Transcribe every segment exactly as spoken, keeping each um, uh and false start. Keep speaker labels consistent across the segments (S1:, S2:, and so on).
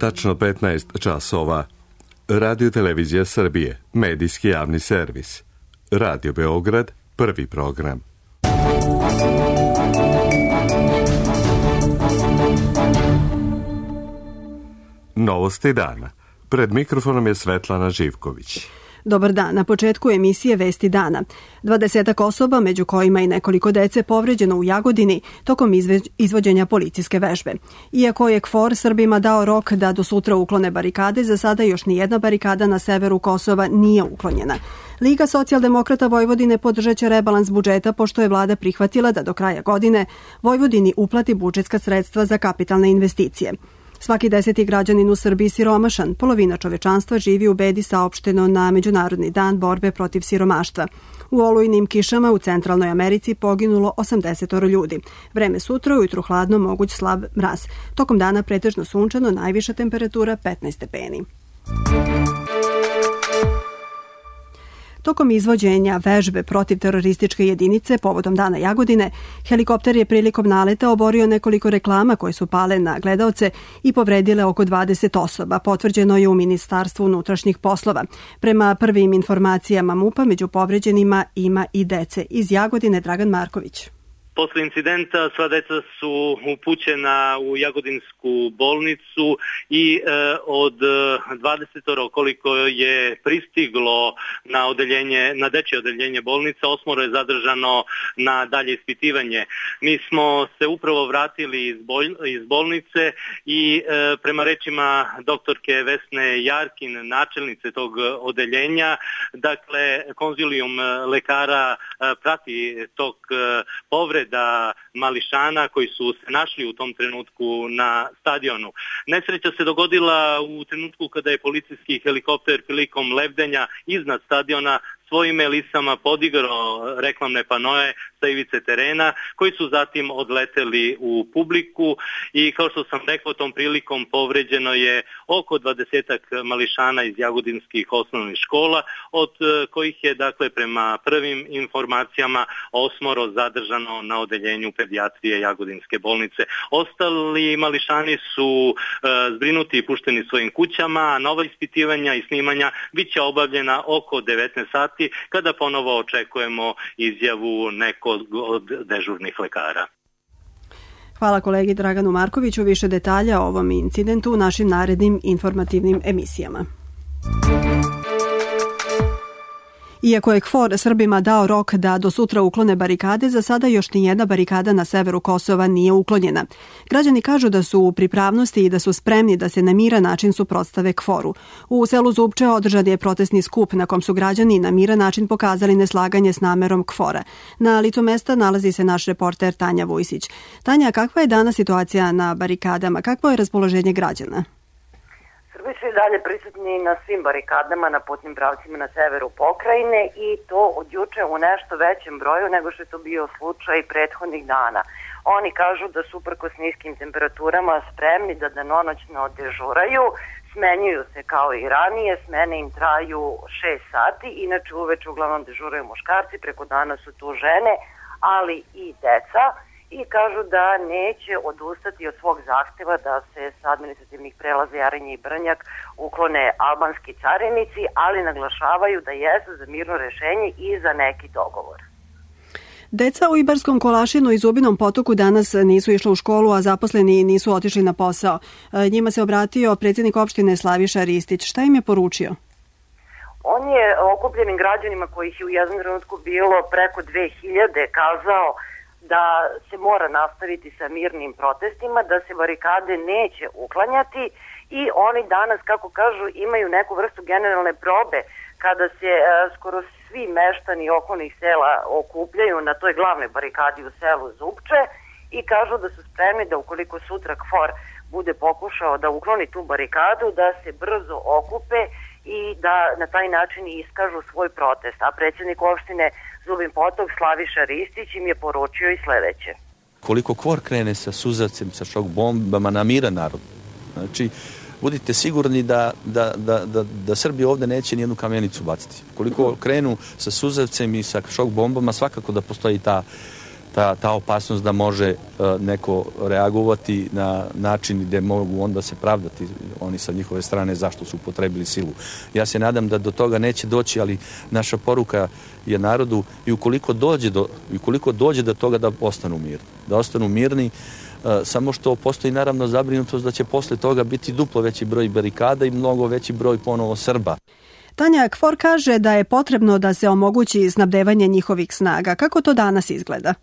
S1: tačno petnaest časova. Radio Televizija Srbije, medijski javni servis. Radio Beograd, prvi program. Novosti dana. Pred mikrofonom je Svetlana Živković.
S2: Dobar dan. Na početku emisije Vesti dana. Dvadesetak osoba, među kojima i nekoliko dece, povređeno u Jagodini tokom izvođenja policijske vežbe. Iako je KFOR Srbima dao rok da do sutra uklone barikade, za sada još nijedna barikada na severu Kosova nije uklonjena. Liga socijaldemokrata Vojvodine podržat će rebalans budžeta pošto je vlada prihvatila da do kraja godine Vojvodini uplati budžetska sredstva za kapitalne investicije. Svaki deseti građanin u Srbiji siromašan, polovina čovečanstva živi u bedi, saopšteno na Međunarodni dan borbe protiv siromaštva. U olujnim kišama u Centralnoj Americi poginulo osamdeset ljudi. Vreme sutra, ujutru hladno, moguć slab mraz. Tokom dana pretežno sunčano, najviša temperatura petnaest stepeni. Tokom izvođenja vežbe protiv terorističke jedinice povodom Dana Jagodine, helikopter je prilikom naleta oborio nekoliko reklama koje su pale na gledaoce i povredile oko dvadeset osoba, potvrđeno je u Ministarstvu unutrašnjih poslova. Prema prvim informacijama MUP-a među povređenima ima i dece. Iz Jagodine Dragan Marković.
S3: Posle incidenta sva deca su upućena u Jagodinsku bolnicu i e, od dvadeset koliko je pristiglo na odeljenje, na dečje odeljenje bolnica, osmoro je zadržano na dalje ispitivanje. Mi smo se upravo vratili iz, bol, iz bolnice i e, prema rečima doktorke Vesne Jarkin, načelnice tog odeljenja, dakle konzilijum lekara e, prati tog e, povred da mališana koji su se našli u tom trenutku na stadionu. Nesreća se dogodila u trenutku kada je policijski helikopter prilikom lebdenja iznad stadiona svojim elisama podigao reklamne panoe sa ivice terena, koji su zatim odleteli u publiku i kao što sam rekao, tom prilikom povređeno je oko dvadesetak mališana iz jagodinskih osnovnih škola, od kojih je dakle prema prvim informacijama osmoro zadržano na odeljenju pedijatrije Jagodinske bolnice. Ostali mališani su e, zbrinuti i pušteni svojim kućama, a nova ispitivanja i snimanja bit će obavljena oko devetnaest sati, kada ponovo očekujemo izjavu nekog od dežurnih lekara.
S2: Hvala kolegi Draganu Markoviću. Više detalja o ovom incidentu u našim narednim informativnim emisijama. Iako je KFOR Srbima dao rok da do sutra uklone barikade, za sada još nijedna barikada na severu Kosova nije uklonjena. Građani kažu da su u pripravnosti i da su spremni da se na miran način suprotstave KFOR-u. U selu Zupče održan je protestni skup na kom su građani na miran način pokazali neslaganje s namerom KFOR-a. Na licu mesta nalazi se naš reporter Tanja Vujsić. Tanja, kakva je danas situacija na barikadama? Kakvo je raspoloženje građana?
S4: Srbi su i dalje prisutni na svim barikadama na putnim pravcima na severu pokrajine i to od juče u nešto većem broju nego što je to bio slučaj prethodnih dana. Oni kažu da su uprkos niskim temperaturama spremni da danonoćno dežuraju, smenjuju se kao i ranije, smene im traju šest sati, inače uveče uglavnom dežuraju muškarci, preko dana su tu žene, ali i deca. I kažu da neće odustati od svog zahteva da se sa administrativnih prelaza Jarinje i Brnjak uklone albanski carinici, ali naglašavaju da jesu za mirno rešenje i za neki dogovor.
S2: Deca u Ibarskom Kolašinu i Zubinom Potoku danas nisu išla u školu, a zaposleni nisu otišli na posao. Njima se obratio predsjednik opštine Slaviša Ristić. Šta im je poručio?
S4: On je okupljenim građanima, kojih je u jednom trenutku bilo preko dve hiljade, kazao da se mora nastaviti sa mirnim protestima, da se barikade neće uklanjati i oni danas, kako kažu, imaju neku vrstu generalne probe kada se e, skoro svi meštani okolnih sela okupljaju na toj glavnoj barikadi u selu Zupče i kažu da su spremni da ukoliko sutra KFOR bude pokušao da ukloni tu barikadu, da se brzo okupe i da na taj način iskažu svoj protest. A predsjednik opštine Zubin Potok Slaviša Ristić im je poručio i sledeće.
S5: Koliko KFOR krene sa suzavcem, sa šok bombama na miran narod, znači budite sigurni da, da, da, da, da Srbi ovde neće nijednu kamenicu baciti. Koliko krenu sa suzavcem i sa šok bombama, svakako da postoji ta ta, ta opasnost da može neko reagovati na način gde mogu onda se pravdati oni sa njihove strane zašto su upotrebili silu. Ja se nadam da do toga neće doći, ali naša poruka je narodu i ukoliko dođe do, i ukoliko dođe do toga da ostanu mirni. Da ostanu mirni, samo što postoji naravno zabrinutost da će posle toga biti duplo veći broj barikada i mnogo veći broj ponovo Srba.
S2: Tanja Kfor kaže da je potrebno da se omogući snabdevanje njihovih snaga. Kako to danas izgleda?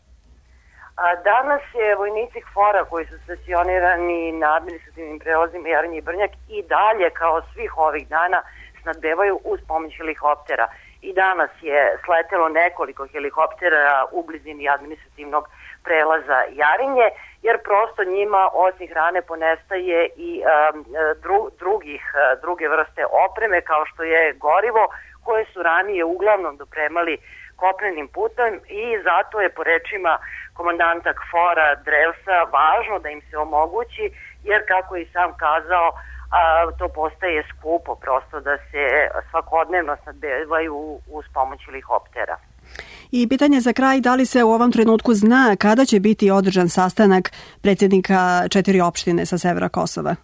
S4: Danas je vojnici Kfora koji su stacionirani na administrativnim prelazima Jarinje i Brnjak i dalje kao svih ovih dana snabdevaju uz pomoć helikoptera. I danas je sletelo nekoliko helikoptera u blizini administrativnog prelaza Jarinje, jer prosto njima osim hrane ponestaje i um, dru, drugih, druge vrste opreme kao što je gorivo koje su ranije uglavnom dopremali kopnenim putem i zato je po rečima komandanta Kfora Drevsa važno da im se omogući, jer kako je i sam kazao, a, to postaje skupo prosto da se svakodnevno snabdevaju uz pomoć helikoptera.
S2: I pitanje za kraj, da li se u ovom trenutku zna kada će biti održan sastanak predsjednika četiri opštine sa severa Kosova?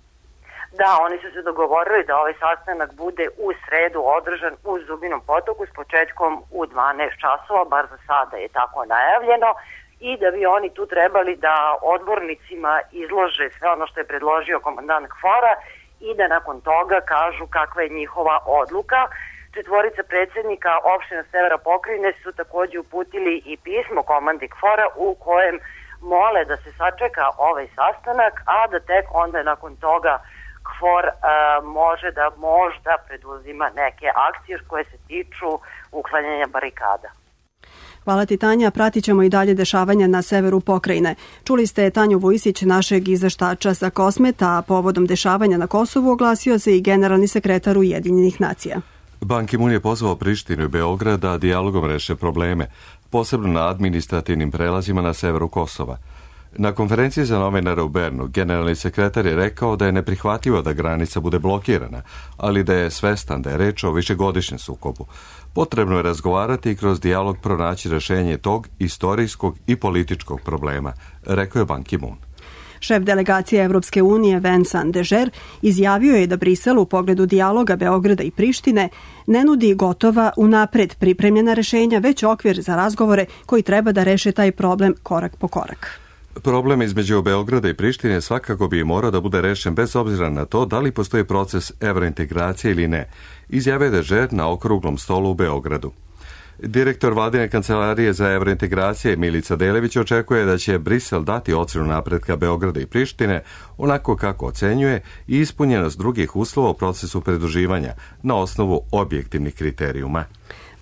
S4: Da, oni su se dogovorili da ovaj sastanak bude u sredu održan u Zubinom Potoku s početkom u dvanaest časova, bar za sada je tako najavljeno, i da bi oni tu trebali da odbornicima izlože sve ono što je predložio komandant Kfora i da nakon toga kažu kakva je njihova odluka. Četvorica predsjednika opština severa pokrajine su također uputili i pismo komandi Kfora u kojem mole da se sačeka ovaj sastanak, a da tek onda nakon toga Kfor a, može da možda preduzima neke akcije koje se tiču uklanjanja barikada.
S2: Hvala ti, Tanja. Pratit ćemo i dalje dešavanja na severu pokrajine. Čuli ste Tanju Vujsić, našeg izveštača sa Kosmeta, a povodom dešavanja na Kosovu oglasio se i generalni sekretar Ujedinjenih nacija.
S1: Ban Ki-moon je pozvao Prištinu i Beograd da dijalogom reše probleme, posebno na administrativnim prelazima na severu Kosova. Na konferenciji za novinare u Bernu generalni sekretar je rekao da je neprihvatljivo da granica bude blokirana, ali da je svestan da je reč o višegodišnjem sukobu. Potrebno je razgovarati i kroz dijalog pronaći rešenje tog istorijskog i političkog problema, rekao je Ban Ki-moon.
S2: Šef delegacije Evropske unije Vincent Dežer izjavio je da Brisel u pogledu dijaloga Beograda i Prištine ne nudi gotova unapred pripremljena rešenja, već okvir za razgovore koji treba da reše taj problem korak po korak.
S1: Problem između Beograda i Prištine svakako bi morao da bude rešen bez obzira na to da li postoji proces evrointegracije ili ne, izjavio je Dežer na okruglom stolu u Beogradu. Direktor vladine kancelarije za evrointegracije Milica Delević očekuje da će Brisel dati ocenu napretka Beograda i Prištine onako kako ocenjuje i ispunjenost drugih uslova u procesu pridruživanja na osnovu objektivnih kriterijuma.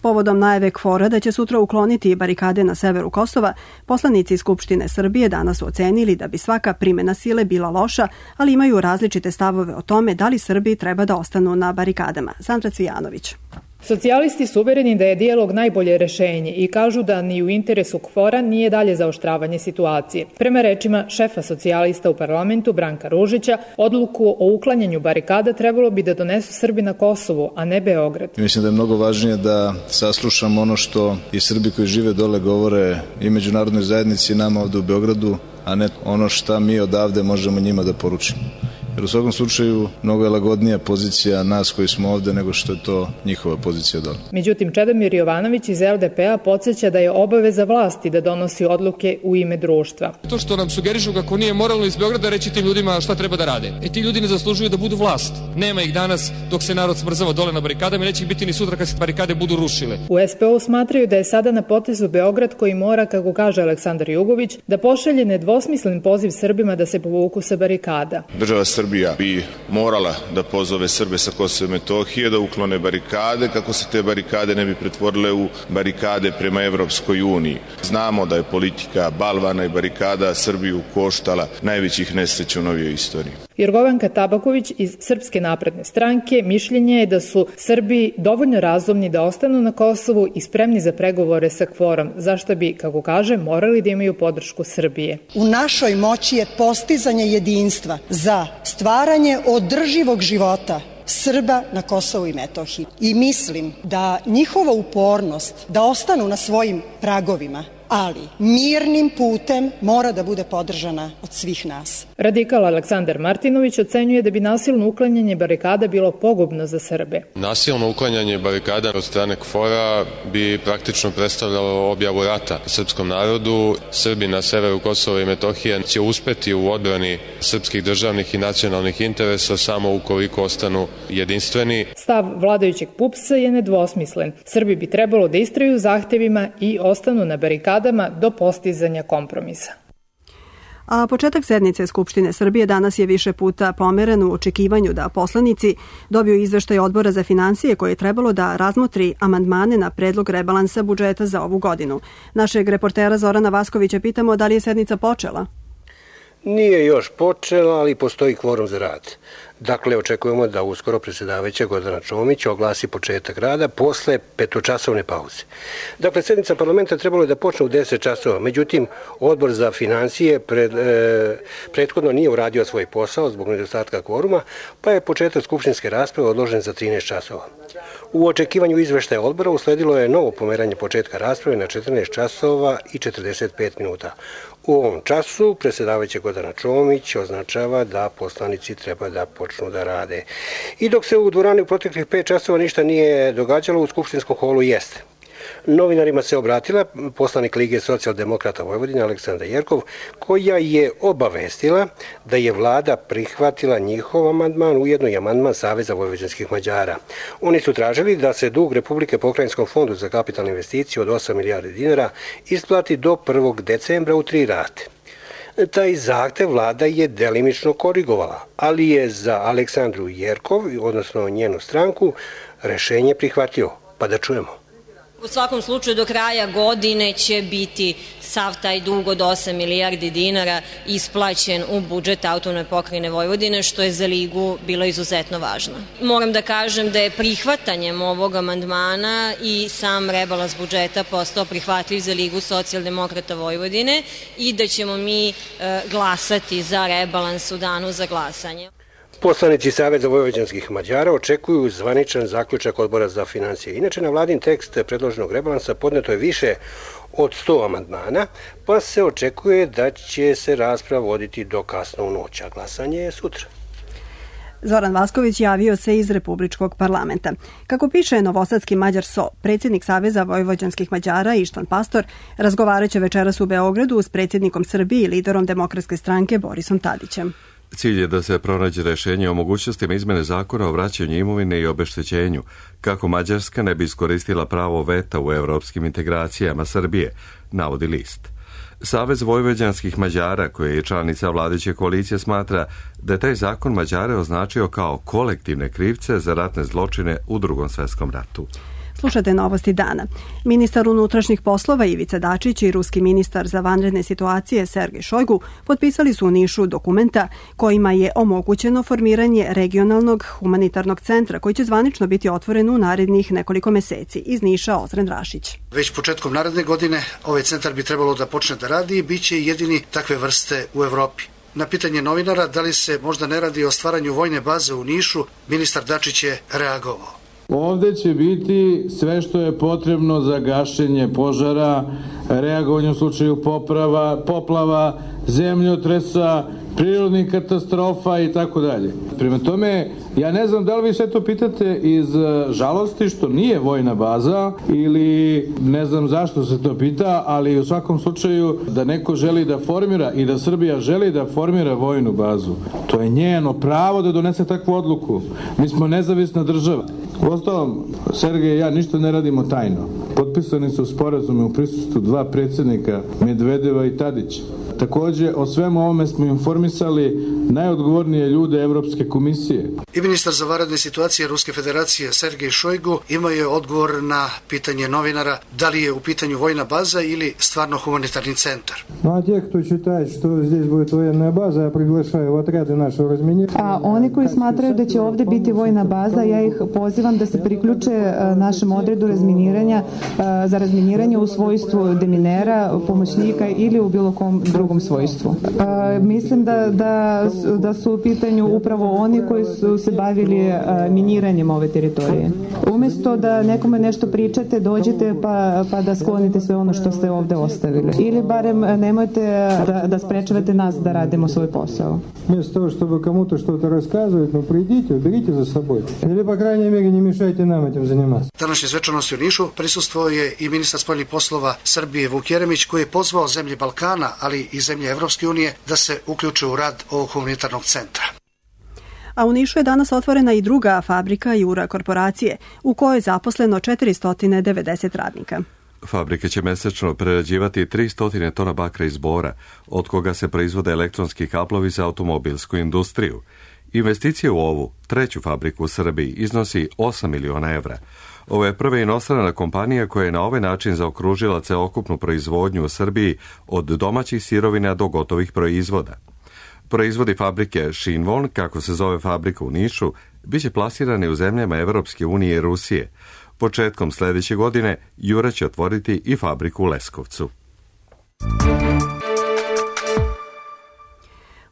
S2: Povodom najave Kfora da će sutra ukloniti barikade na severu Kosova, poslanici Skupštine Srbije danas su ocenili da bi svaka primjena sile bila loša, ali imaju različite stavove o tome da li Srbi treba da ostanu na barikadama. Sandra Cvijanović.
S6: Socijalisti su uvereni da je dijalog najbolje rešenje i kažu da ni u interesu Kfora nije dalje zaoštravanje situacije. Prema rečima šefa socijalista u parlamentu Branka Ružića, odluku o uklanjanju barikada trebalo bi da donesu Srbi na Kosovu, a ne Beograd.
S7: Mislim da je mnogo važnije da saslušamo ono što i Srbi koji žive dole govore i međunarodnoj zajednici i nama ovde u Beogradu, a ne ono šta mi odavde možemo njima da poručimo. Jer u svakom slučaju mnogo je lagodnija pozicija nas koji smo ovde nego što je to njihova pozicija dole.
S6: Međutim, Čedomir Jovanović iz L D P-a podsjeća da je obaveza vlasti da donosi odluke u ime društva.
S8: To što nam sugerišu kako nije moralno iz Beograda reći tim ljudima šta treba da rade. E ti ljudi ne zaslužuju da budu vlast. Nema ih danas dok se narod smrzava dole na barikadama i neće ih biti ni sutra kad se barikade budu rušile.
S6: U S P O smatraju da je sada na potezu Beograd koji mora, kako kaže Aleksandar Jugović, da pošalje nedvosmislen poziv Srbima da se povuku sa barikada.
S9: Država Srbija bi morala da pozove Srbe sa Kosova i Metohije da uklone barikade kako se te barikade ne bi pretvorile u barikade prema Evropskoj uniji. Znamo da je politika balvana i barikada Srbiju koštala najvećih nesreća u novijoj istoriji.
S6: Jorgovanka Tabaković iz Srpske napredne stranke mišljenje je da su Srbi dovoljno razumni da ostanu na Kosovu i spremni za pregovore sa Kforom, zašto bi, kako kaže, morali da imaju podršku Srbije.
S10: U našoj moći je postizanje jedinstva za stvaranje održivog života Srba na Kosovu i Metohiji. I mislim da njihova upornost da ostanu na svojim pragovima ali mirnim putem mora da bude podržana od svih nas.
S6: Radikal Aleksandar Martinović ocenjuje da bi nasilno uklanjanje barikada bilo pogubno za Srbe.
S11: Nasilno uklanjanje barikada od strane KFOR-a bi praktično predstavljalo objavu rata srpskom narodu. Srbi na severu Kosova i Metohije će uspeti u odbrani srpskih državnih i nacionalnih interesa samo ukoliko ostanu jedinstveni.
S6: Stav vladajućeg P U P S-a je nedvosmislen. Srbi bi trebalo da istraju zahtevima i ostanu na barikadama do postizanja kompromisa.
S2: A početak sednice Skupštine Srbije danas je više puta pomeren u očekivanju da poslanici dobiju izveštaj Odbora za finansije koji je trebalo da razmotri amandmane na predlog rebalansa budžeta za ovu godinu. Našeg reportera Zorana Vaskovića pitamo da li je sednica počela?
S12: Nije još počela, ali postoji kvorum za rad. Dakle, očekujemo da uskoro predsjedavajuća Gordana Čomić oglasi početak rada posle petočasovne pauze. Dakle, sednica parlamenta trebalo je da počne u deset časova, međutim, Odbor za finansije pred, e, prethodno nije uradio svoj posao zbog nedostatka kvoruma, pa je početak skupštinske rasprave odložen za trinaest časova. U očekivanju izveštaja odbora usledilo je novo pomeranje početka rasprave na četrnaest časova i četrdeset pet minuta. U ovom času predsjedavajuća Gordana Čomić označava da poslanici treba da počnu da rade. I dok se u dvorani u proteklih pet časova ništa nije događalo, u skupštinskom holu jeste. Novinarima se obratila poslanik Lige socijaldemokrata Vojvodine Aleksandra Jerkov, koja je obavestila da je vlada prihvatila njihov amandman, ujedno i amandman Saveza vojvođanskih Mađara. Oni su tražili da se dug Republike Pokrajinskom fondu za kapitalne investicije od osam milijardi dinara isplati do prvog decembra u tri rate. Taj zahtev vlada je delimično korigovala, ali je za Aleksandru Jerkov, odnosno njenu stranku, rešenje prihvatio. Pa da čujemo.
S13: U svakom slučaju do kraja godine će biti sav taj dug od osam milijardi dinara isplaćen u budžet Autonomne pokrajine Vojvodine, što je za Ligu bilo izuzetno važno. Moram da kažem da je prihvatanjem ovog amandmana i sam rebalans budžeta postao prihvatljiv za Ligu socijaldemokrata Vojvodine i da ćemo mi e, glasati za rebalans u danu za glasanje.
S12: Poslanici Saveza vojvođanskih Mađara očekuju zvaničan zaključak Odbora za finansije. Inače, na vladin tekst predloženog rebalansa podneto je više od sto amandmana, pa se očekuje da će se rasprava voditi do kasno u noć, a glasanje je sutra.
S2: Zoran Vasković javio se iz Republičkog parlamenta. Kako piše novosadski Mađar S O, predsjednik Saveza vojvođanskih Mađara Ištan Pastor razgovaraće večeras u Beogradu s predsjednikom Srbije i liderom Demokratske stranke Borisom Tadićem.
S1: Cilj je da se pronađe rešenje o mogućnostima izmene zakona o vraćanju imovine i obeštećenju, kako Mađarska ne bi iskoristila pravo veta u evropskim integracijama Srbije, navodi list. Savez vojvođanskih Mađara, koji je članica vladajuće koalicije, smatra da je taj zakon Mađare označio kao kolektivne krivce za ratne zločine u Drugom svetskom ratu.
S2: Slušate novosti dana. Ministar unutrašnjih poslova Ivica Dačić i ruski ministar za vanredne situacije Sergej Šojgu potpisali su u Nišu dokumenta kojima je omogućeno formiranje regionalnog humanitarnog centra koji će zvanično biti otvoren u narednih nekoliko meseci. Iz Niša Ozren Rašić.
S14: Već početkom naredne godine ovaj centar bi trebalo da počne da radi i bit će jedini takve vrste u Evropi. Na pitanje novinara da li se možda ne radi o stvaranju vojne baze u Nišu, ministar Dačić je reagovao.
S15: Ovde će biti sve što je potrebno za gašenje požara, reagovanje u slučaju poprava, poplava, zemljotresa, prirodnih katastrofa i tako dalje. Prema tome, ja ne znam da li vi sve to pitate iz žalosti što nije vojna baza ili ne znam zašto se to pita, ali u svakom slučaju da neko želi da formira i da Srbija želi da formira vojnu bazu, to je njeno pravo da donese takvu odluku. Mi smo nezavisna država. Uostalom, Sergej i ja ništa ne radimo tajno. Potpisani su sporazume u prisustvu dva predsjednika, Medvedeva i Tadića. Takođe, o svemu ovome smo informisali najodgovornije ljude Evropske komisije.
S14: I ministar za vanredne situacije Ruske federacije Sergej Šojgu imao je odgovor na pitanje novinara da li je u pitanju vojna baza ili stvarno humanitarni centar.
S16: A te кто считает, что здесь будет военная база, я приглашаю в отряды нашего разминирования.
S17: A oni koji smatraju da će ovde biti vojna baza, ja ih pozivam da se priključe našem odredu razminiranja za razminiranje u svojstvu deminera, pomoćnika ili u bilo kom drugom drugom svojstvu. A, mislim da, da, da su u pitanju upravo oni koji su se bavili a, miniranjem ove teritorije. Umesto da nekome nešto pričate, dođete pa, pa da sklonite sve ono što ste ovde ostavili. Ili barem nemojte da, da sprečavate nas da radimo svoj posao.
S16: Вместо того, чтобы кому-то что-то рассказывать, ну придите, уберите за собой. Или, по крайней мере, не мешайте нам этим заниматься.
S14: Današnje svečanosti u Nišu prisustvovao je i ministar spoljnih poslova Srbije Vuk Jeremić, koji je pozvao zemlje Balkana, ali i zemlje Evropske unije da se uključe u rad ovog humanitarnog centra.
S2: A u Nišu je danas otvorena i druga fabrika Jura korporacije, u kojoj je zaposleno četiristo devedeset radnika.
S1: Fabrika će mesečno prerađivati tristo tona bakra iz bora, od koga se proizvode elektronski kablovi za automobilsku industriju. Investicija u ovu, treću fabriku u Srbiji, iznosi osam miliona evra. Ovo je prva inostrana kompanija koja je na ovaj način zaokružila celokupnu proizvodnju u Srbiji od domaćih sirovina do gotovih proizvoda. Proizvodi fabrike Shinwon, kako se zove fabrika u Nišu, biće plasirani u zemljama Evropske unije i Rusije. Početkom sljedeće godine Jura će otvoriti i fabriku u Leskovcu.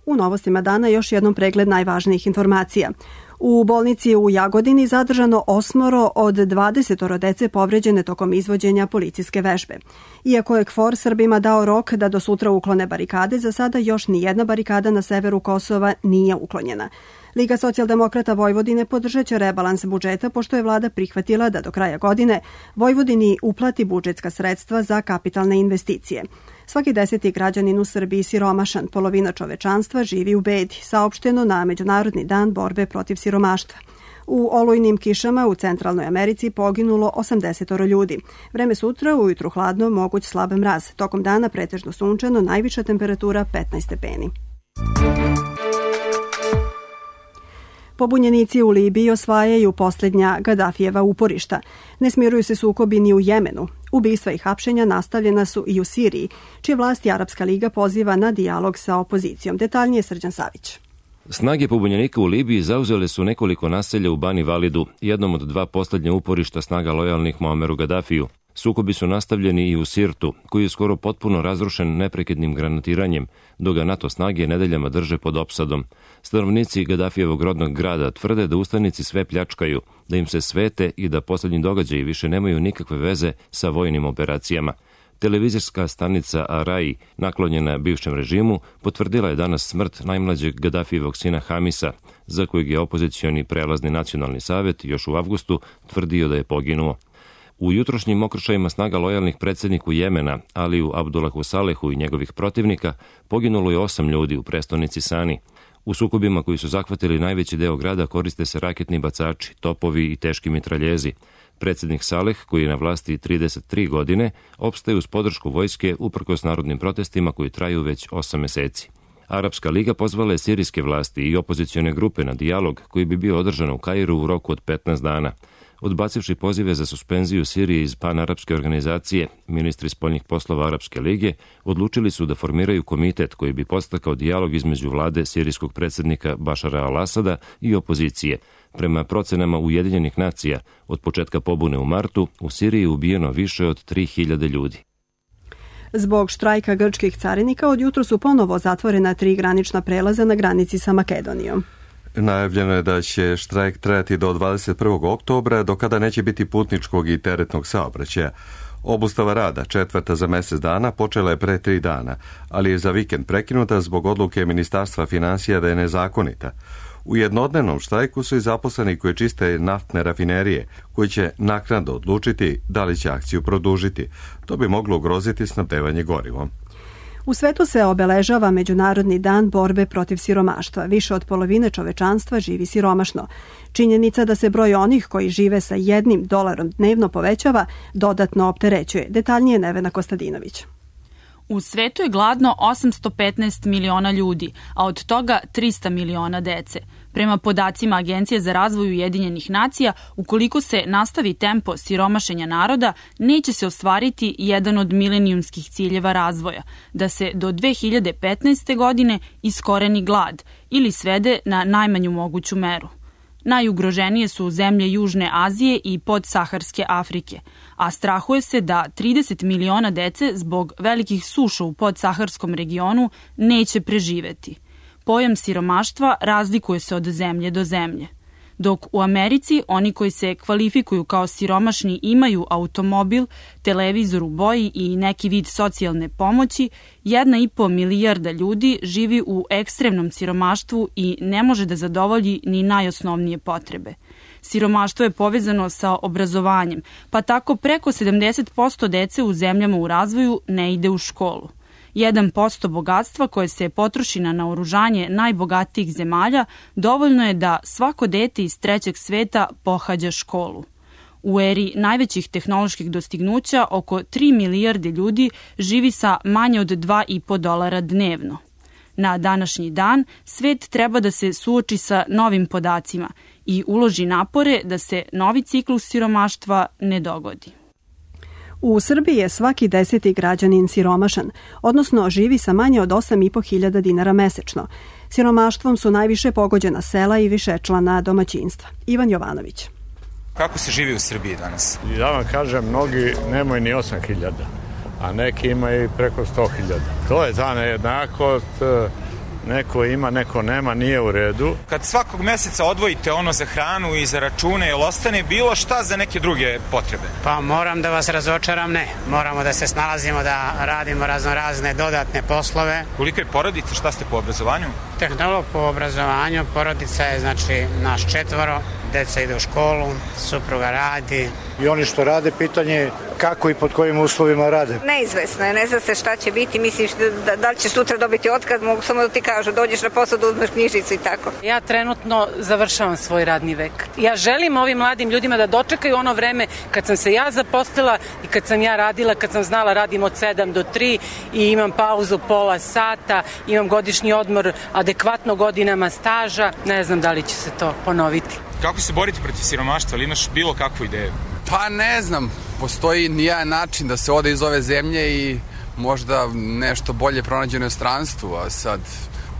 S2: U novostima dana još jednom pregled najvažnijih informacija. U bolnici u Jagodini zadržano osmoro od dvadesetoro dece povređene tokom izvođenja policijske vežbe. Iako je KFOR Srbima dao rok da do sutra uklone barikade, za sada još ni jedna barikada na severu Kosova nije uklonjena. Liga socijaldemokrata Vojvodine podržat će rebalans budžeta, pošto je vlada prihvatila da do kraja godine Vojvodini uplati budžetska sredstva za kapitalne investicije. Svaki deseti građanin u Srbiji siromašan, polovina čovečanstva živi u bedi, saopšteno na Međunarodni dan borbe protiv siromaštva. U olujnim kišama u Centralnoj Americi poginulo osamdesetoro ljudi. Vreme sutra, ujutru hladno, moguć slab mraz. Tokom dana pretežno sunčano, najviša temperatura petnaest stepeni. Pobunjenici u Libiji osvajaju posljednja Gadafijeva uporišta. Ne smiruju se sukobi ni u Jemenu. Ubistva i hapšenja nastavljena su i u Siriji, čije vlasti Arapska liga poziva na dijalog sa opozicijom. Detaljnije Srđan Savić.
S18: Snage pobunjenika u Libiji zauzele su nekoliko naselja u Bani Validu, jednom od dva posljednja uporišta snaga lojalnih Muameru Gadafiju. Sukobi su nastavljeni i u Sirtu, koji je skoro potpuno razrušen neprekidnim granatiranjem, dok ga NATO snage nedeljama drže pod opsadom. Stanovnici Gadafijevog rodnog grada tvrde da ustanici sve pljačkaju, da im se svete i da posljednji događaji više nemaju nikakve veze sa vojnim operacijama. Televizijska stanica Arai, naklonjena bivšem režimu, potvrdila je danas smrt najmlađeg Gadafijevog sina Hamisa, za kojeg je opozicioni prelazni nacionalni savjet još u avgustu tvrdio da je poginuo. U jutrošnjim okršajima snaga lojalnih predsjedniku Jemena, Aliju Abdullahu Salehu i njegovih protivnika, poginulo je osam ljudi u prestonici Sani. U sukobima koji su zahvatili najveći deo grada koriste se raketni bacači, topovi i teški mitraljezi. Predsjednik Saleh, koji je na vlasti trideset tri godine, opstaje uz podršku vojske uprkos narodnim protestima koji traju već osam meseci. Arapska liga pozvala je sirijske vlasti i opozicione grupe na dijalog koji bi bio održan u Kairu u roku od petnaest dana. Odbacivši pozive za suspenziju Sirije iz panarapske organizacije, ministri spoljnih poslova Arapske lige odlučili su da formiraju komitet koji bi podstakao dijalog između vlade sirijskog predsjednika Bašara al-Asada i opozicije. Prema procenama Ujedinjenih nacija, od početka pobune u martu, u Siriji je ubijeno više od tri hiljade ljudi.
S2: Zbog štrajka grčkih carinika od jutro su ponovo zatvorena tri granična prelaza na granici sa Makedonijom.
S1: Najavljeno je da će štrajk trajati do dvadeset prvog oktobra, do kada neće biti putničkog i teretnog saobraćaja. Obustava rada, četvrta za mjesec dana, počela je pre tri dana, ali je za vikend prekinuta zbog odluke Ministarstva financija da je nezakonita. U jednodnevnom štrajku su i zaposleni koji čiste naftne rafinerije, koji će naknadno odlučiti da li će akciju produžiti. To bi moglo ugroziti snabdevanje gorivom.
S2: U svetu se obeležava Međunarodni dan borbe protiv siromaštva. Više od polovine čovečanstva živi siromašno. Činjenica da se broj onih koji žive sa jednim dolarom dnevno povećava dodatno opterećuje. Detaljnije Nevena Kostadinović.
S19: U svetu je gladno osamsto petnaest miliona ljudi, a od toga trista miliona dece. Prema podacima Agencije za razvoj Ujedinjenih nacija, ukoliko se nastavi tempo siromašenja naroda, neće se ostvariti jedan od milenijumskih ciljeva razvoja, da se do dve hiljade petnaeste. godine iskoreni glad ili svede na najmanju moguću meru. Najugroženije su zemlje Južne Azije i podsaharske Afrike, a strahuje se da trideset miliona dece zbog velikih suša u podsaharskom regionu neće preživeti. Pojam siromaštva razlikuje se od zemlje do zemlje. Dok u Americi oni koji se kvalifikuju kao siromašni imaju automobil, televizor u boji i neki vid socijalne pomoći, jedna i po milijarda ljudi živi u ekstremnom siromaštvu i ne može da zadovolji ni najosnovnije potrebe. Siromaštvo je povezano sa obrazovanjem, pa tako preko sedamdeset posto dece u zemljama u razvoju ne ide u školu. jedan posto bogatstva koje se potroši na naoružanje najbogatijih zemalja dovoljno je da svako dete iz trećeg sveta pohađa školu. U eri najvećih tehnoloških dostignuća oko tri milijarde ljudi živi sa manje od dva i po dolara dnevno. Na današnji dan svet treba da se suoči sa novim podacima i uloži napore da se novi ciklus siromaštva ne dogodi.
S2: U Srbiji je svaki deseti građanin siromašan, odnosno živi sa manje od osam i po hiljada dinara mesečno. Siromaštvom su najviše pogođena sela i višečlana domaćinstva. Ivan Jovanović.
S20: Kako se živi u Srbiji danas?
S21: Ja vam kažem, mnogi nemaju ni osam hiljada, a neki imaju preko sto hiljada. To je ta nejednakost, neko ima, neko nema, nije u redu.
S20: Kad svakog meseca odvojite ono za hranu i za račune, jel ostane bilo šta za neke druge potrebe?
S22: Pa moram da vas razočaram, ne. Moramo da se snalazimo, da radimo razno razne dodatne poslove.
S20: Koliko je porodica, šta ste po obrazovanju?
S22: Tehnolog po obrazovanju, porodica je znači naš četvoro, deca ide u školu, supruga radi.
S23: I oni što rade, pitanje je kako i pod kojim uslovima rade.
S24: Neizvesno je, ne zna se šta će biti, misliš da, da li će sutra dobiti otkaz, mogu samo da ti kažu, dođeš na posao da uzmeš knjižicu i tako.
S25: Ja trenutno završavam svoj radni vek. Ja želim ovim mladim ljudima da dočekaju ono vreme kad sam se ja zaposlila i kad sam ja radila, kad sam znala radim od sedam do tri i imam pauzu pola sata, imam godišnji odmor adekvatno godinama staža, ne znam da li će se to ponoviti.
S20: Kako se boriti protiv siromaštva, ali imaš bilo kakvu ideju?
S26: Pa ne znam, postoji nijedan način da se ode iz ove zemlje i možda nešto bolje pronađe u inostranstvu, a sad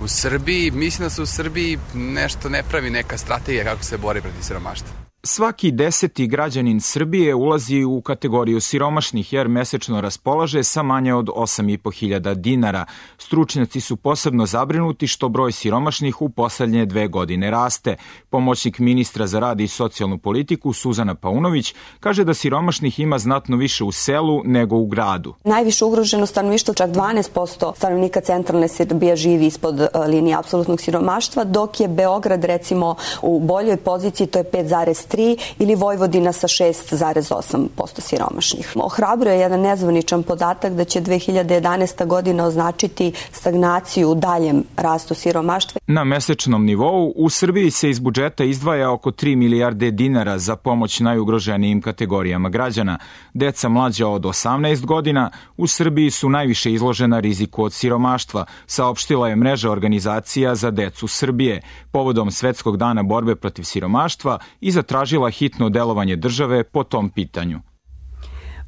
S26: u Srbiji, mislim da se u Srbiji nešto ne pravi neka strategija kako se bori protiv siromaštva.
S27: Svaki deseti građanin Srbije ulazi u kategoriju siromašnih jer mesečno raspolaže sa manje od osam i po hiljada dinara. Stručnjaci su posebno zabrinuti što broj siromašnih u poslednje dve godine raste. Pomoćnik ministra za rad i socijalnu politiku Suzana Paunović kaže da siromašnih ima znatno više u selu nego u gradu.
S28: Najviše ugroženo stanovništvo, čak dvanaest posto stanovnika centralne Srbije živi ispod linije apsolutnog siromaštva, dok je Beograd recimo u boljoj poziciji, to je pet zarez tri ili Vojvodina sa šest zarez osam posto siromašnih. Ohrabruje jedan nezvaničan podatak da će dve hiljade jedanaesta godina označiti stagnaciju u daljem rastu siromaštva.
S27: Na mesečnom nivou u Srbiji se iz budžeta izdvaja oko tri milijarde dinara za pomoć najugroženijim kategorijama građana. Deca mlađa od osamnaest godina u Srbiji su najviše izložena riziku od siromaštva, saopštila je mreža organizacija za decu Srbije povodom Svetskog dana borbe protiv siromaštva i zatražila hitno delovanje države po tom pitanju.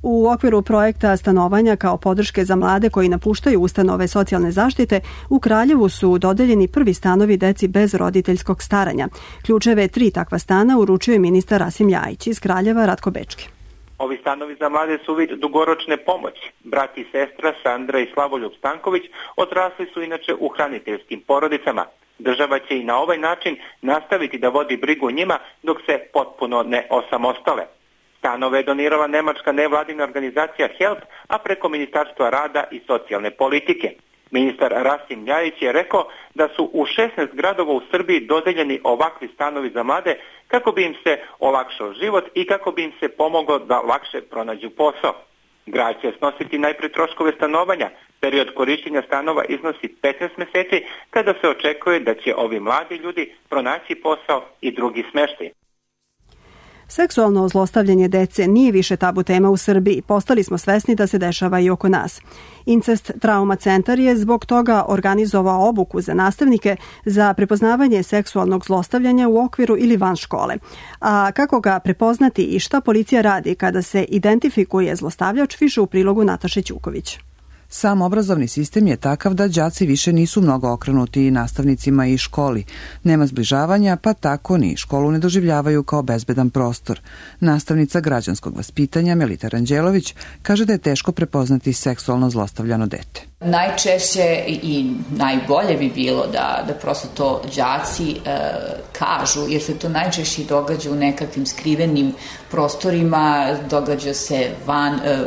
S2: U okviru projekta stanovanja kao podrške za mlade koji napuštaju ustanove socijalne zaštite, u Kraljevu su dodeljeni prvi stanovi deci bez roditeljskog staranja. Ključeve tri takva stana uručio je ministar Rasim Ljajić. Iz Kraljeva Ratko Bečki.
S29: Ovi stanovi za mlade su vid dugoročne pomoći. Brat i sestra Sandra i Slavoljub Stanković odrasli su inače u hraniteljskim porodicama. Država će i na ovaj način nastaviti da vodi brigu o njima dok se potpuno ne osamostale. Stanove je donirala nemačka nevladina organizacija HELP, a preko Ministarstva rada i socijalne politike. Ministar Rasim Ljajić je rekao da su u šesnaest gradova u Srbiji dodeljeni ovakvi stanovi za mlade kako bi im se olakšao život i kako bi im se pomoglo da lakše pronađu posao. Grad će snositi najpre troškove stanovanja. Period korišćenja stanova iznosi petnaest meseci, kada se očekuje da će ovi mladi ljudi pronaći posao i drugi smeštaj.
S2: Seksualno zlostavljanje dece nije više tabu tema u Srbiji. Postali smo svesni da se dešava i oko nas. Incest Trauma centar je zbog toga organizovao obuku za nastavnike za prepoznavanje seksualnog zlostavljanja u okviru ili van škole. A kako ga prepoznati i šta policija radi kada se identifikuje zlostavljač, više u prilogu Nataše Ćuković.
S3: Sam obrazovni sistem je takav da đaci više nisu mnogo okrenuti nastavnicima i školi. Nema zbližavanja, pa tako ni školu ne doživljavaju kao bezbedan prostor. Nastavnica građanskog vaspitanja Melita Ranđelović kaže da je teško prepoznati seksualno zlostavljano dete.
S4: Najčešće i najbolje bi bilo da, da prosto to đaci e, kažu, jer se to najčešće događa u nekakvim skrivenim prostorima, događa se van e,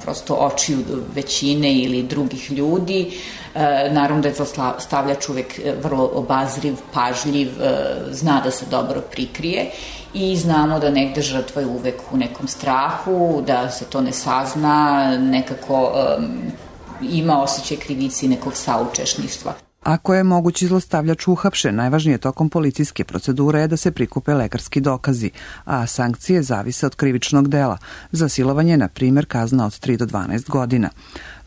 S4: prosto očiju većine ili drugih ljudi. E, naravno da je zlostavljač uvek vrlo obazriv, pažljiv, e, zna da se dobro prikrije i znamo da negde žrtva je uvek u nekom strahu, da se to ne sazna, nekako e, ima osjećaj krivici nekog saučešništva.
S3: Ako je mogući zlostavljač uhapšen, najvažnije tokom policijske procedure je da se prikupe lekarski dokazi, a sankcije zavise od krivičnog dela. Za silovanje, na primjer, kazna od tri do dvanaest godina.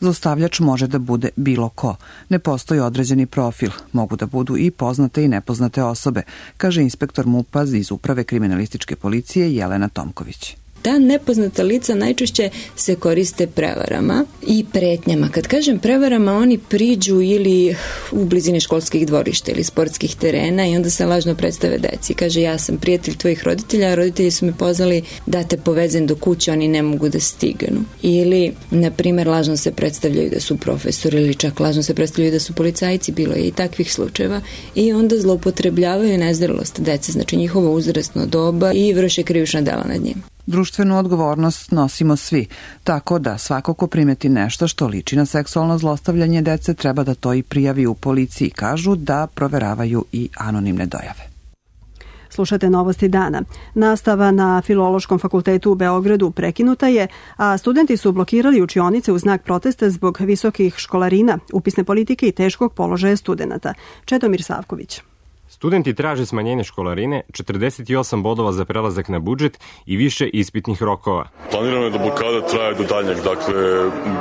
S3: Zlostavljač može da bude bilo ko. Ne postoji određeni profil. Mogu da budu i poznate i nepoznate osobe, kaže inspektor MUP-a iz Uprave kriminalističke policije Jelena Tomković.
S5: Ta nepoznata lica najčešće se koriste prevarama i pretnjama. Kad kažem prevarama, oni priđu ili u blizini školskih dvorišta ili sportskih terena i onda se lažno predstave deci. Kaže, ja sam prijatelj tvojih roditelja, a roditelji su me pozvali da te povezem do kuće, oni ne mogu da stignu. Ili, na primjer, lažno se predstavljaju da su profesori ili čak lažno se predstavljaju da su policajci, bilo je i takvih slučajeva, i onda zloupotrebljavaju nezrelost dece, znači njihovo uzrasno doba, i vrše krivična dela nad njim.
S3: Društvenu odgovornost nosimo svi, tako da svako ko primeti nešto što liči na seksualno zlostavljanje dece treba da to i prijavi u policiji, kažu da proveravaju i anonimne dojave.
S2: Slušate Novosti dana. Nastava na Filološkom fakultetu u Beogradu prekinuta je, a studenti su blokirali učionice u znak protesta zbog visokih školarina, upisne politike i teškog položaja studenata. Čedomir Savković.
S6: Studenti traže smanjenje školarine, četrdeset osam bodova za prelazak na budžet i više ispitnih rokova.
S7: Planirano je da blokada traje do daljnjeg, dakle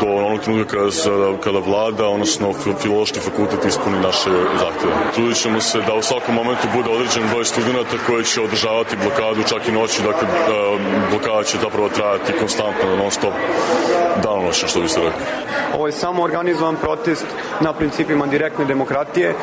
S7: do onog trenutka kada, kada vlada, odnosno Filološki fakultet ispuni naše zahteve. Trudit ćemo se da u svakom momentu bude određen broj studenta koji će održavati blokadu čak i noći, dakle blokada će zapravo trajati konstantno, non stop, danonoćno, što bi se rekao.
S8: Ovo je samo organizovan protest na principima direktne demokratije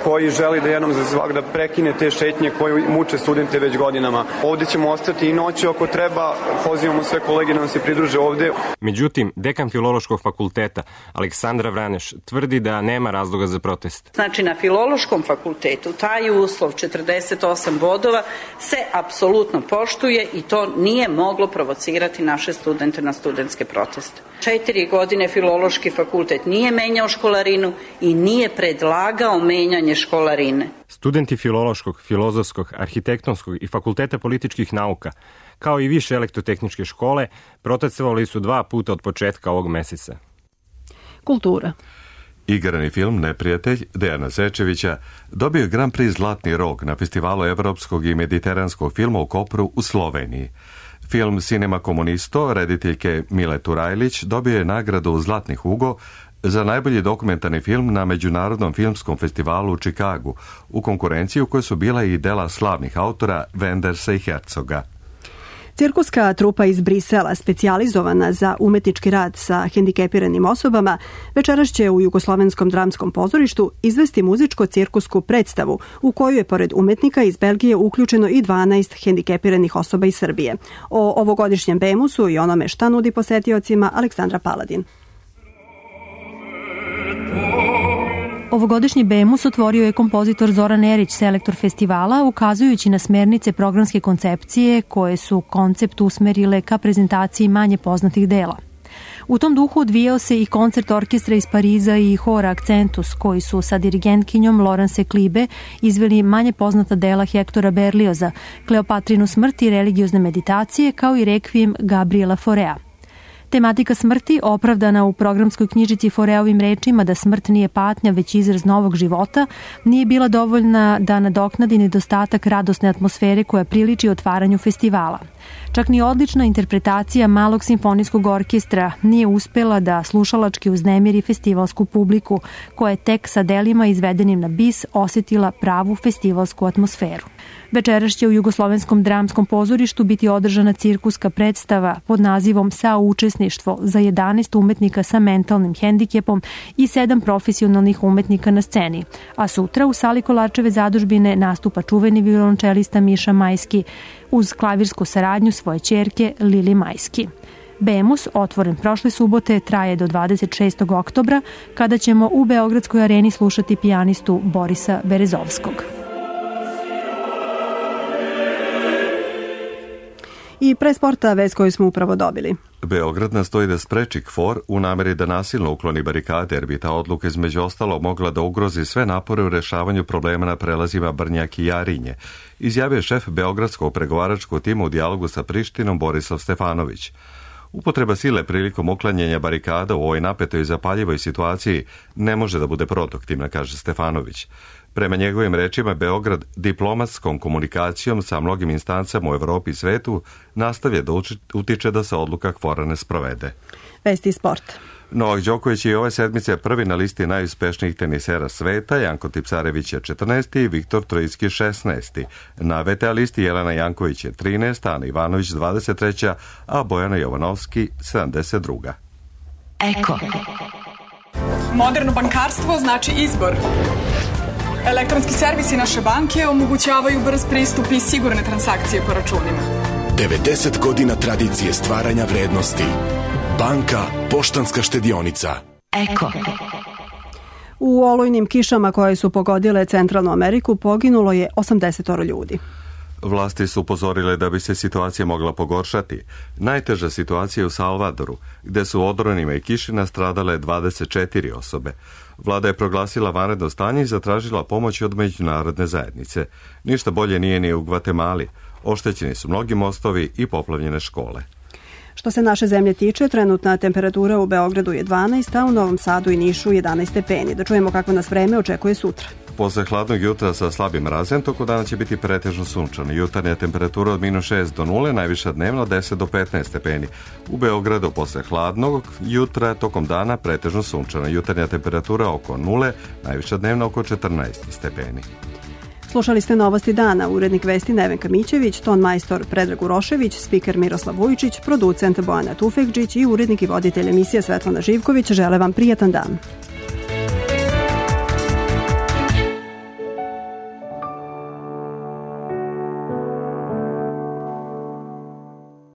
S8: koji želi da jednom za svak da prekine te šetnje koje muče studente već godinama. Ovde ćemo ostati i noći ako treba, pozivamo sve kolege da nam se pridruže ovde.
S6: Međutim, dekan Filološkog fakulteta Aleksandra Vraneš tvrdi da nema razloga za protest.
S9: Znači, na Filološkom fakultetu taj uslov četrdeset osam bodova se apsolutno poštuje i to nije moglo provocirati naše studente na studentske proteste. Četiri godine Filološki fakultet nije menjao školarinu i nije predlagao menjanje školarine.
S6: Studenti Filološkog, Filozofskog, Arhitektonskog i Fakulteta političkih nauka, kao i više elektrotehničke škole, protestovali su dva puta od početka ovog meseca.
S2: Kultura.
S1: Igrani film Neprijatelj Dejana Zečevića dobio je Grand Prix Zlatni rog na Festivalu evropskog i mediteranskog filma u Kopru u Sloveniji. Film Cinema Komunisto rediteljke Mile Turajlić dobio je nagradu Zlatni Hugo za najbolji dokumentarni film na Međunarodnom filmskom festivalu u Čikagu, u konkurenciji u kojoj su bila i dela slavnih autora Wendersa i Herzoga.
S2: Cirkuska trupa iz Brisela, specijalizovana za umetnički rad sa hendikepiranim osobama, večeras će u Jugoslovenskom dramskom pozorištu izvesti muzičko-cirkusku predstavu u koju je pored umetnika iz Belgije uključeno i dvanaest hendikepiranih osoba iz Srbije. O ovogodišnjem Bemusu i onome šta nudi posetiocima Aleksandra Paladin.
S10: Ovogodišnji Bemus otvorio je kompozitor Zoran Erić, selektor festivala, ukazujući na smernice programske koncepcije koje su koncept usmerile ka prezentaciji manje poznatih dela. U tom duhu odvijao se i koncert orkestra iz Pariza i hora Akcentus, koji su sa dirigentkinjom Laurence Klibe izveli manje poznata dela Hektora Berlioza, Kleopatrinu smrt i religiozne meditacije, kao i rekvijem Gabriela Forea. Tematika smrti, opravdana u programskoj knjižici Foreovim rečima da smrt nije patnja već izraz novog života, nije bila dovoljna da nadoknadi nedostatak radosne atmosfere koja priliči otvaranju festivala. Čak ni odlična interpretacija Malog simfonijskog orkestra nije uspela da slušalački uznemiri festivalsku publiku, koja je tek sa delima izvedenim na bis osetila pravu festivalsku atmosferu. Večeras će u Jugoslovenskom dramskom pozorištu biti održana cirkuska predstava pod nazivom Saučesništvo za jedanaest umetnika sa mentalnim hendikepom i sedam profesionalnih umetnika na sceni, a sutra u sali Kolarčeve zadužbine nastupa čuveni violončelista Miša Majski uz klavirsku saradnju svoje ćerke Lili Majski. Bemus, otvoren prošle subote, traje do dvadeset šestog oktobra, kada ćemo u Beogradskoj areni slušati pijanistu Borisa Berezovskog. I pre sporta vest koju smo upravo dobili.
S1: Beograd nastoji da spreči KFOR u nameri da nasilno ukloni barikade, jer bi ta odluka između ostalo mogla da ugrozi sve napore u rešavanju problema na prelazima Brnjak i Jarinje, izjavio šef Beogradskog pregovaračkog tima u dijalogu sa Prištinom Borislav Stefanović. Upotreba sile prilikom uklanjanja barikada u ovoj napetoj i zapaljivoj situaciji ne može da bude produktivna, kaže Stefanović. Prema njegovim rečima, Beograd diplomatskom komunikacijom sa mnogim instancama u Evropi i svetu nastavlja da utiče da se odluka KFOR-a ne sprovede.
S2: Vesti sport.
S1: Novak Đoković je ove sedmice prvi na listi najuspešnijih tenisera sveta, Janko Tipsarević je četrnaesti i Viktor Trojicki šesnaesti. Na V T A listi Jelena Janković je trinaesta, Ana Ivanović dvadeset treća, a Bojana Jovanovski sedamdeset druga.
S11: Eko. Moderno bankarstvo znači izbor. Elektronski servisi naše banke omogućavaju brz pristup i sigurne transakcije po računima.
S12: devedeset godina tradicije stvaranja vrednosti. Banka Poštanska štedionica.
S11: Eko.
S2: U olujnim kišama koje su pogodile Centralnu Ameriku poginulo je osamdeset ljudi.
S1: Vlasti su upozorile da bi se situacija mogla pogoršati. Najteža situacija je u Salvadoru, gde su u odronima i kiši nastradale dvadeset četiri osobe. Vlada je proglasila vanredno stanje i zatražila pomoć od međunarodne zajednice. Ništa bolje nije ni u Gvatemali. Oštećeni su mnogi mostovi i poplavljene škole.
S2: Što se naše zemlje tiče, trenutna temperatura u Beogradu je dvanaest, a u Novom Sadu i Nišu jedanaest stepeni. Da čujemo kako nas vreme očekuje sutra.
S1: Posle hladnog jutra sa slabim mrazem, toko dana će biti pretežno sunčano. Jutarnja temperatura od minus šest do nule, najviša dnevno deset do petnaest stepeni. U Beogradu posle hladnog jutra tokom dana pretežno sunčano. Jutarnja temperatura oko nule, najviša dnevno oko četrnaest stepeni.
S2: Slušali ste Novosti dana, urednik vesti Nevenka Mićević, ton majstor Predrag Urošević, spiker Miroslav Vujčić, producent Bojana Tufekđić i urednik i voditelj emisije Svetlana Živković žele vam prijatan dan.